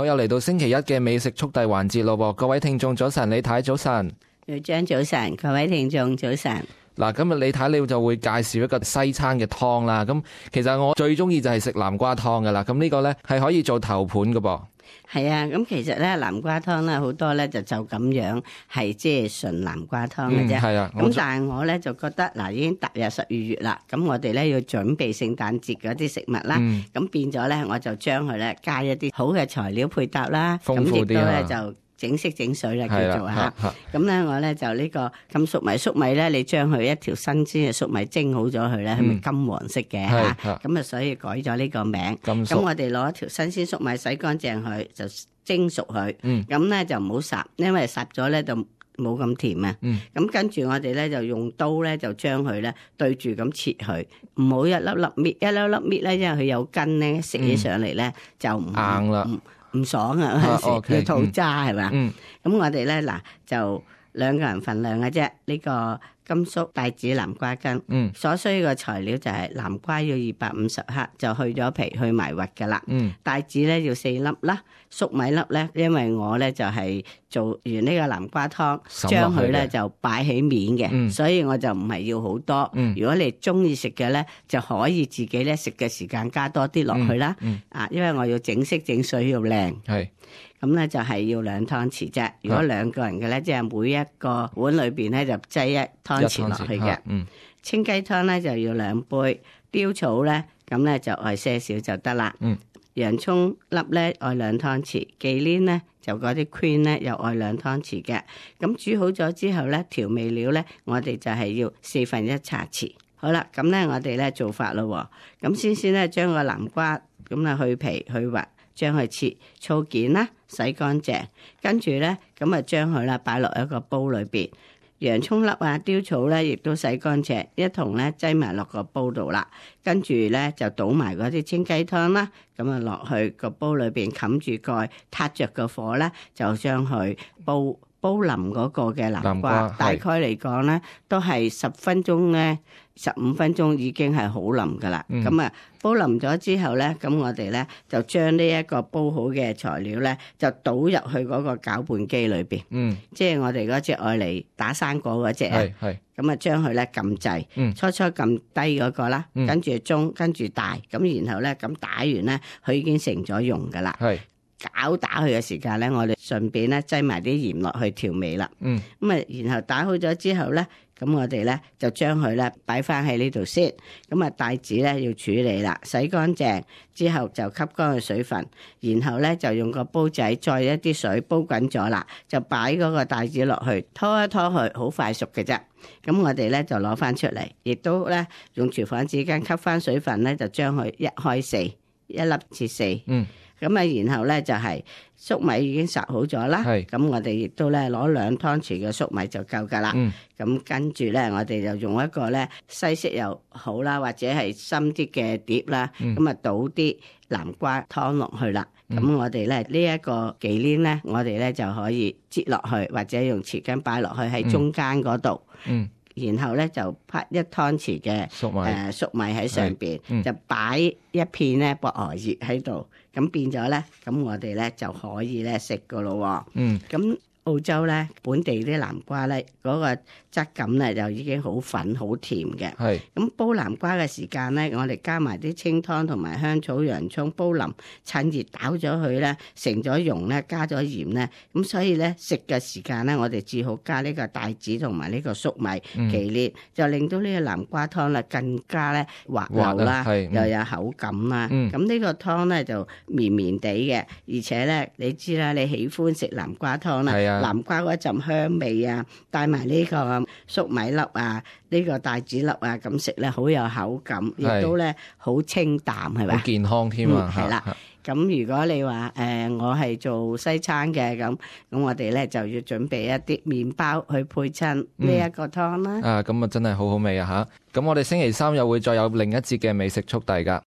我又嚟到星期一嘅美食速遞環節咯，各位聽眾早晨，李太早晨，廖張早晨，各位聽眾早晨。嗱，今日李太你就會介紹一個西餐嘅湯啦。咁其實我最中意就係食南瓜湯噶啦。咁呢個呢係可以做頭盤噶噃。係啊，咁其實咧南瓜湯咧好多咧就咁樣係即係純南瓜湯嘅啫。係啊。咁但係我咧就覺得嗱，已經踏入12月啦，咁我哋咧要準備聖誕節嗰啲食物啦。咁變咗咧，我就將佢咧加一啲好嘅材料配搭啦。豐富啲啊。咁亦都咧就整色整水啦，叫做嚇。咁咧我咧就呢個咁粟米咧，你將佢一條新鮮嘅粟米蒸好咗佢咧，係咪金黃色嘅嚇？咁啊，所以改咗呢個名。咁我哋攞一條新鮮粟米洗乾淨佢，就蒸熟佢。咁咧就唔好烚，因為烚咗咧就冇咁甜啊。咁跟住我哋咧就用刀咧就將佢咧對住咁切佢，唔好一粒粒搣，一粒粒搣咧，因為佢有根咧，食起上嚟咧就唔硬啦。唔爽啊！要吐渣係嘛？咁我哋咧嗱就2個人份量嘅啫。呢個甘肅帶子南瓜羹，所需嘅材料就係南瓜要250克，就去咗皮去埋核噶啦。帶子咧要4粒啦，粟米粒咧，因為我咧就係做完呢個南瓜湯，將佢咧就擺起面嘅，所以我就唔係要好多。如果你中意食嘅咧，就可以自己咧食嘅時間加多啲落去啦。因為我要整色整水要靚。係。咁咧就係要2湯匙啫。如果2個人嘅咧，即係每一個碗裏邊咧就擠1湯匙落去嘅。清雞湯咧就要2杯，雕草咧咁咧就愛些少就得啦。洋葱粒咧愛2湯匙，忌廉咧就嗰啲 cream 咧又愛2湯匙嘅。咁煮好咗之後咧，調味料咧我哋就係要1/4茶匙。好啦，咁咧我哋咧做法咯。咁先咧將個南瓜咁啊去皮去核。將佢切粗件啦，洗乾淨，跟住咧咁啊將佢啦擺落一個煲裏邊，洋葱粒啊、雕草咧亦都洗乾淨，一同咧擠埋落個煲度啦，跟住咧就倒埋嗰啲清雞湯啦，咁啊落去個煲裏邊冚住蓋，撻着個火咧就將佢煲腍嗰個嘅南瓜，大概嚟講咧都係10分鐘咧。15分鐘已經係好腍噶啦，咁啊煲腍咗之後咧，咁我哋咧就將呢一個煲好嘅材料咧，就倒入去嗰個攪拌機裏邊，即係我哋嗰隻愛嚟打生果嗰隻啊，咁啊將佢咧撳掣，初初撳低嗰個啦，跟住中，跟住大，咁然後咧咁打完咧，佢已經成咗蓉噶啦，攪打佢嘅時間咧，我哋順便咧擠埋啲鹽落去調味啦，咁啊然後打好咗之後咧。咁我哋咧就將佢咧擺翻喺呢度先，咁啊帶子咧要處理啦，洗乾淨之後就吸乾個水分，然後咧就用個煲仔再一啲水煲滾咗啦，就擺嗰個帶子落去拖一拖佢，好快熟嘅啫。咁我哋咧就攞翻出嚟，亦都咧用廚房紙巾吸翻水分咧，就將佢1開4，一粒切4。咁啊，然後咧就係粟米已經烚好咗啦，咁我哋亦都咧攞2湯匙嘅粟米就夠噶啦。咁跟住咧，我哋就用一個咧西式又好啦，或者係深啲嘅碟啦，咁啊倒啲南瓜湯落去啦。咁我哋咧呢一個忌廉咧，我哋咧就可以擠落去，或者用匙羹擺落去喺中間嗰度。然後咧就拍1湯匙嘅粟米喺上邊，就擺一片咧薄荷葉喺度，咁變咗咧，咁我哋咧就可以咧食噶咯。咁澳洲咧本地啲南瓜咧嗰個質感咧就已經好粉好甜嘅。咁煲南瓜嘅時間咧，我哋加埋啲清湯同埋香草、洋葱煲腍，趁熱攪咗佢咧，成咗蓉咧，加咗鹽咧，咁所以咧食嘅時間咧，我哋至好加呢個帶子同埋呢個粟米忌廉，就令到呢個南瓜湯咧更加咧滑溜啦，又有口感啦。咁呢個湯咧就綿綿地嘅，而且咧你知啦，你喜歡食南瓜湯啦。南瓜嗰陣香味啊，帶埋呢個粟米粒啊，呢個帶子粒啊，咁食咧好有口感，亦都咧好清淡，係咪？好健康添啊！係啦，咁如果你話我係做西餐嘅咁我哋咧就要準備一啲麵包去配襯呢一個湯啦。咁啊真係好好味啊嚇！咁我哋星期3又會再有另一節嘅美食速遞㗎。